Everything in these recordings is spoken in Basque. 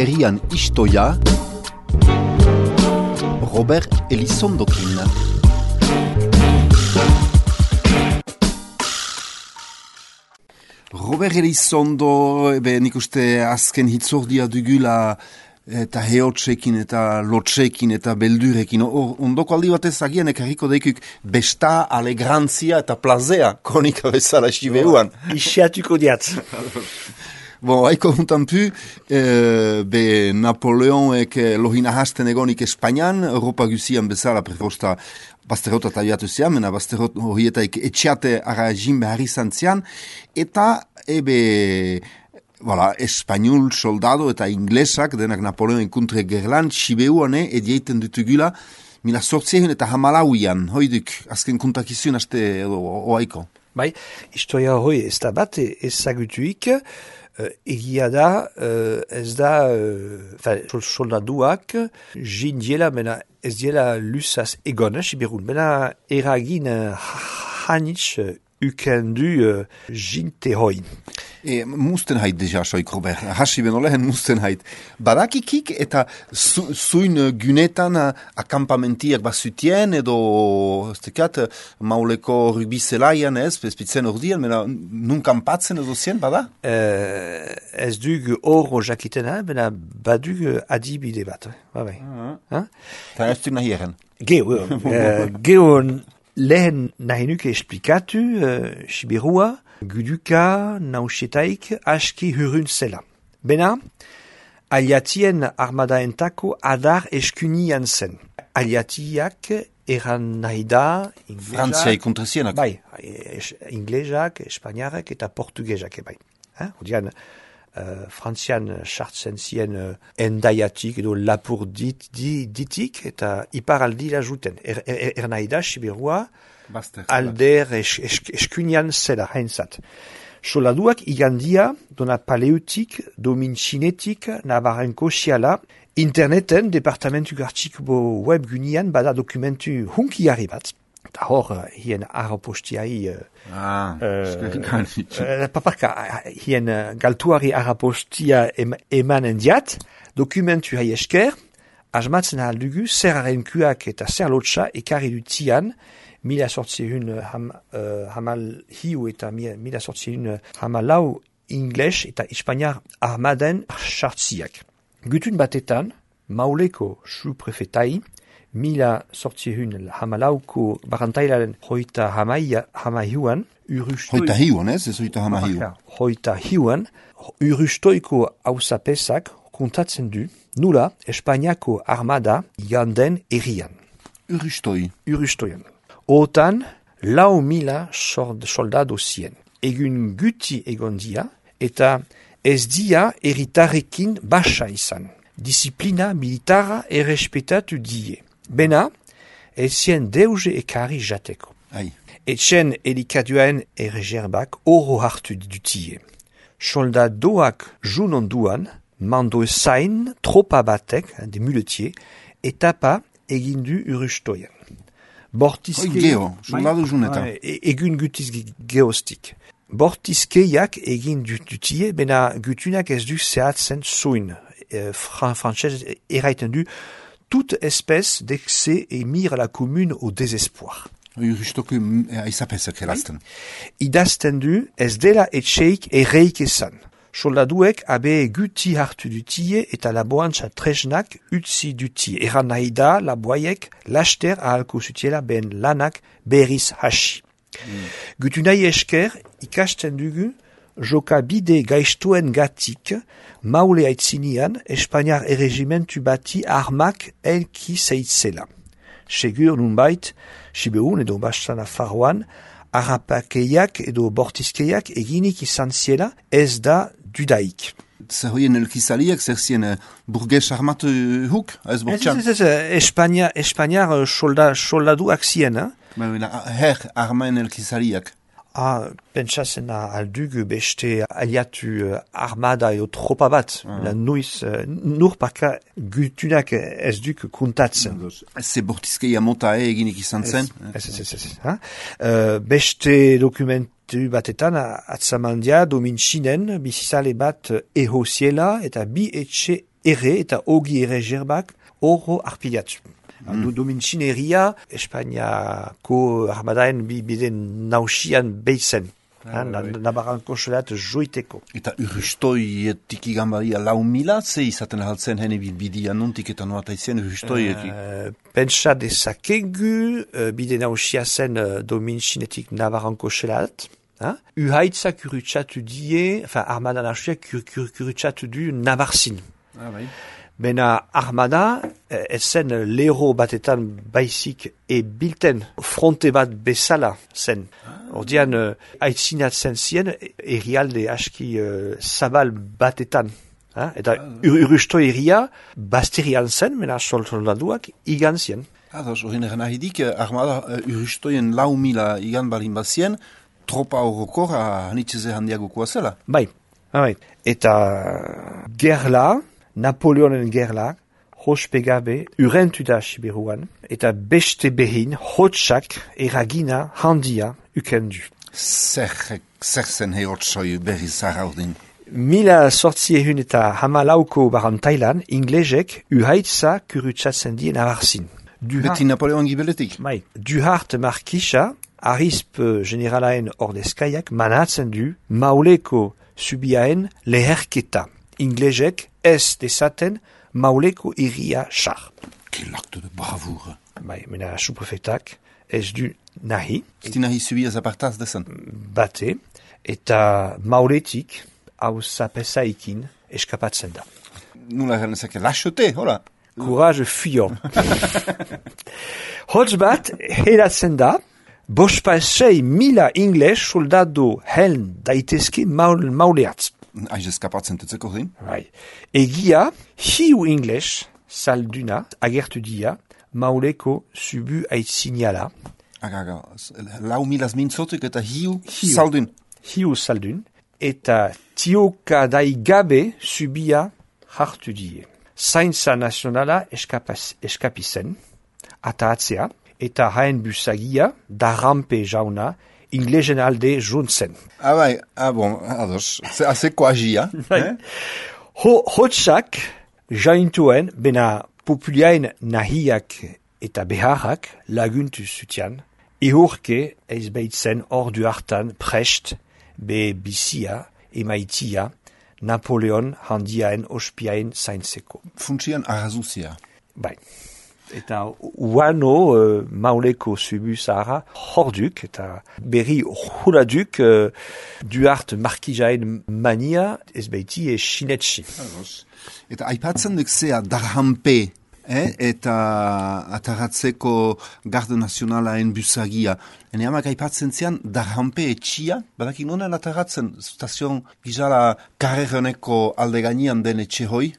herrian istoia, Robert Elizondokin. Robert Elizondo, nik uste azken hitzordia dugula eta heotsekin eta lotsekin eta beldurekin. Ondoko aldi batez agian ekarriko daikuk besta, alegrantzia eta plazea kronika bezala esibeuan. Isiatuko diat. Bon, haiko juntan pu, be Napoleonek lohina hasten egonik Espainian, Europa guzian bezala prefosta Basterrota tabiatu zian, mena Basterrot horietaik etxeate ara jin behar izan zian, eta Espainol soldado eta inglesak, denak Napoleon kontre gerlan, Sibeuane edieiten dutugula, 1814 hoiduk, azken kontakizun haste edo oaiko. Bai, historia hoi ez da bat ezagutuik, egia da, ez da, soldaduak, jin diela, mena ez diela lusaz egon, Sibirun, mena eragin hanitz ukendu jinte hoi. Mustenheit deja, soik, Robert. Hasi benolehen mustenheit. Badakikik eta zuin gunetan akampamentiak bazutien edo mauleko rugbizelaian ez, bezpitzen ordian, mena nun kampatzen edo zien, bada? Ez dug oro jakitena, mena badug adibide bat. Babai. Eta ez duk nahi eren? Geo lehen nahi nuke esplikatu Sibirua, guduka nausietaik aski hurun zela. Bena, aliatien armadaentako adar eskunian zen. Aliatiak eran nahi da Frantzia ikontrazienak. Bai, inglesak, espainiarek eta portugesak bai. Odian, Frantzian sartzen zien endaiatik edo lapur ditik eta iparaldi la juten. Nahi da, Sibirua, alder eskunian zela hainzat. Soldaduak igandia dona paleutik, domin txinetik, nabarenko siala, interneten, departamentu gartiko web gunian, bada dokumentu hunkiari bat. Eta hor, hien arapostiai... paparka, hien galtuari arapostia emanen diat, dokumentu hai esker, asmatzen aldugu, zer arenkuak eta zer lotxa ekarri dutian, 1800 hamal hiu eta 1800 hamalau ingles eta Espainiar armaden sartziak. Gutun batetan, Mauleko su-prefetai, 1800 hamalauko barantailaren hoita hamaihuan, hoita hiuan, ez hoita hamaihuan. Hoita hiuan, urustoiko hausapesak kontatzen du, nula Espainiako armada janden erian. Urustoian. Otan, 4.000 soldado zien. Egun guti egon dia, eta ez dia eritarekin basa izan. Disiplina militara errespetatu die. Bena, ezien deuze ekari jateko. Etxen elikaduen erregerbak oro hartu dutie. Soldadoak jun onduan, mando zain tropa batek, de muletier, etapa egindu urustoian. Soldado junetan. Egun gutiz geostik. Bortizkeiak egin dutie, bena gutunak ez du zehatzen zoin. Française eraiten du, toute espèce d'excès et mire la commune au désespoir. Urustoko aizapezak erazten. Idazten du, ez dela etxeik erreik esan. Soldaduek abe guti hartu dutie eta laboantza tresnak utzi dutie. Eran nahi da, laboaiek laster ahalko zutiela ben lanak berriz hasi. Gutu nahi esker ikasten dugu jokabide gaiztuen gatik maule aitzinian Espainiar erregimentu bati armak elki zeitzela. Segur nunbait, Sibeun edo Bastana Faroan, harrapakeiak edo bortizkeiak eginik izan ziela ez da dudaik. Zer hoien elkizaliak, zer zien burges armatu huk? Espainiar soldaduak zien. Her armaen elkizaliak. Pentsatzen aldugu beste aliatu armada edo tropa bat. Nuiz, nur parka gutunak ez duk kontatzen. Ez bortizkeia mota eginik izan zen? Beste dokumentu batetan atzamandia domin txinen bizizale bat ehoziela eta bi etxe ere eta ogi ere jerbak horro arpilatu. Domintzin herria, Espainiako armadaen bide nausian behitzen. Nabaranko solat joiteko. Eta urrustoietik igan badia 4.000, ze izaten haltzen hene bidia nontik eta noata izien urrustoietik? Pentsa dezakegu, bide nausia zen Domintzinetik Nabaranko solat. Uhaitzak kurutsatu die, armada nausia kurutsatu du Nabarzin. Bai. Bena armada, zen lero batetan baizik bilten fronte bat bezala zen. Ordian, aitzinatzen zien herrialde aski zabal batetan. Eta urrusto herria basterian zen, mena soldaduak igan zien. Ados, horien eran ahidik, armada urrustoien 4.000 igan balin bazien, tropa horrokor hanitzeze handiagokoa zela. Bai. Eta gerla, Napoleonen gerlak, hospegabe, urentu da Siberuan, eta beste behin hotsak eragina handia ukendu. Zer zen herotsoi berri zaraudin? 1800 eta 14 barantailan, inglesek uhaitza kurutsatzen die Nabarzin. Beti Napoleon gibeletik? Bai, Duhart markisa, arisp generalaen ordezkaiak manatzen du Mauleko subiaen leherketa. Inglesek ez dezaten Mauleko iria xar. Quel acte de bravoure. Bai, mena suprefetak ez du nahi. Ez nahi subiaz apartaz dezen? Bate, eta Mauletik hau zapesaikin eskapatzen da. Nula ganezake, lâcheté, hola. Courage fuyant. Hotz bat, helatzen da, 5.000 ingles soldado heln daitezke mauleatz. Aiz eskapatzen tutzeko din? Bai. Egia, hiu ingles salduna agertu dia Mauleko subu aitziniala. Agaga, 4.000 mintzotik eta hiu saldun. Hiu saldun. Eta tioka daigabe subia hartu die. Zaintza nazionala eskapizen, atatzea, eta haen busagia, darrampe jauna, inglesen alde juntzen. Bai, bon, ados, azeko agia. Hotsak jaintuen, bena populiaen nahiak eta beharrak laguntu zutian, ehurke eizbeitzen ordu hartan prest, be bizia, emaitia, Napoleon handiaen ospiaen zaintzeko. Funtsian arrazuzia. Bai. Eta uano Mauleko subu zahara horduk eta berri huraduk Duhart markijaen mania ez beiti sinetsi. Eta aipatzen duk zea darhampe, eta ataratzeko garde nazionalaen busagia. Ene amak aipatzen zean darhampe etxia, badakin nonen ataratzen stazion gizala karreroneko alde gainean den etxe hoi,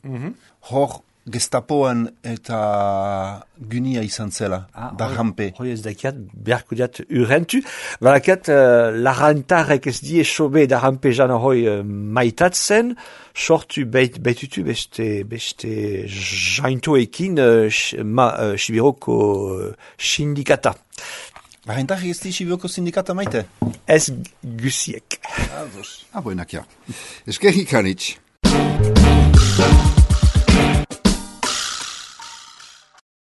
hor Gestapoan eta gunia izan zela, darhampe. Hoi ez dakiat, beharko diat urentu. Balakat, larantarek ez die sobe darhampe jana hoi maitatzen, sortu beitutu beste jaintoekin Sibiroko sindikata. Larantarek ez di Sibiroko sindikata maite? Ez gusiek. Aboenak ja. Eskerrik anitz.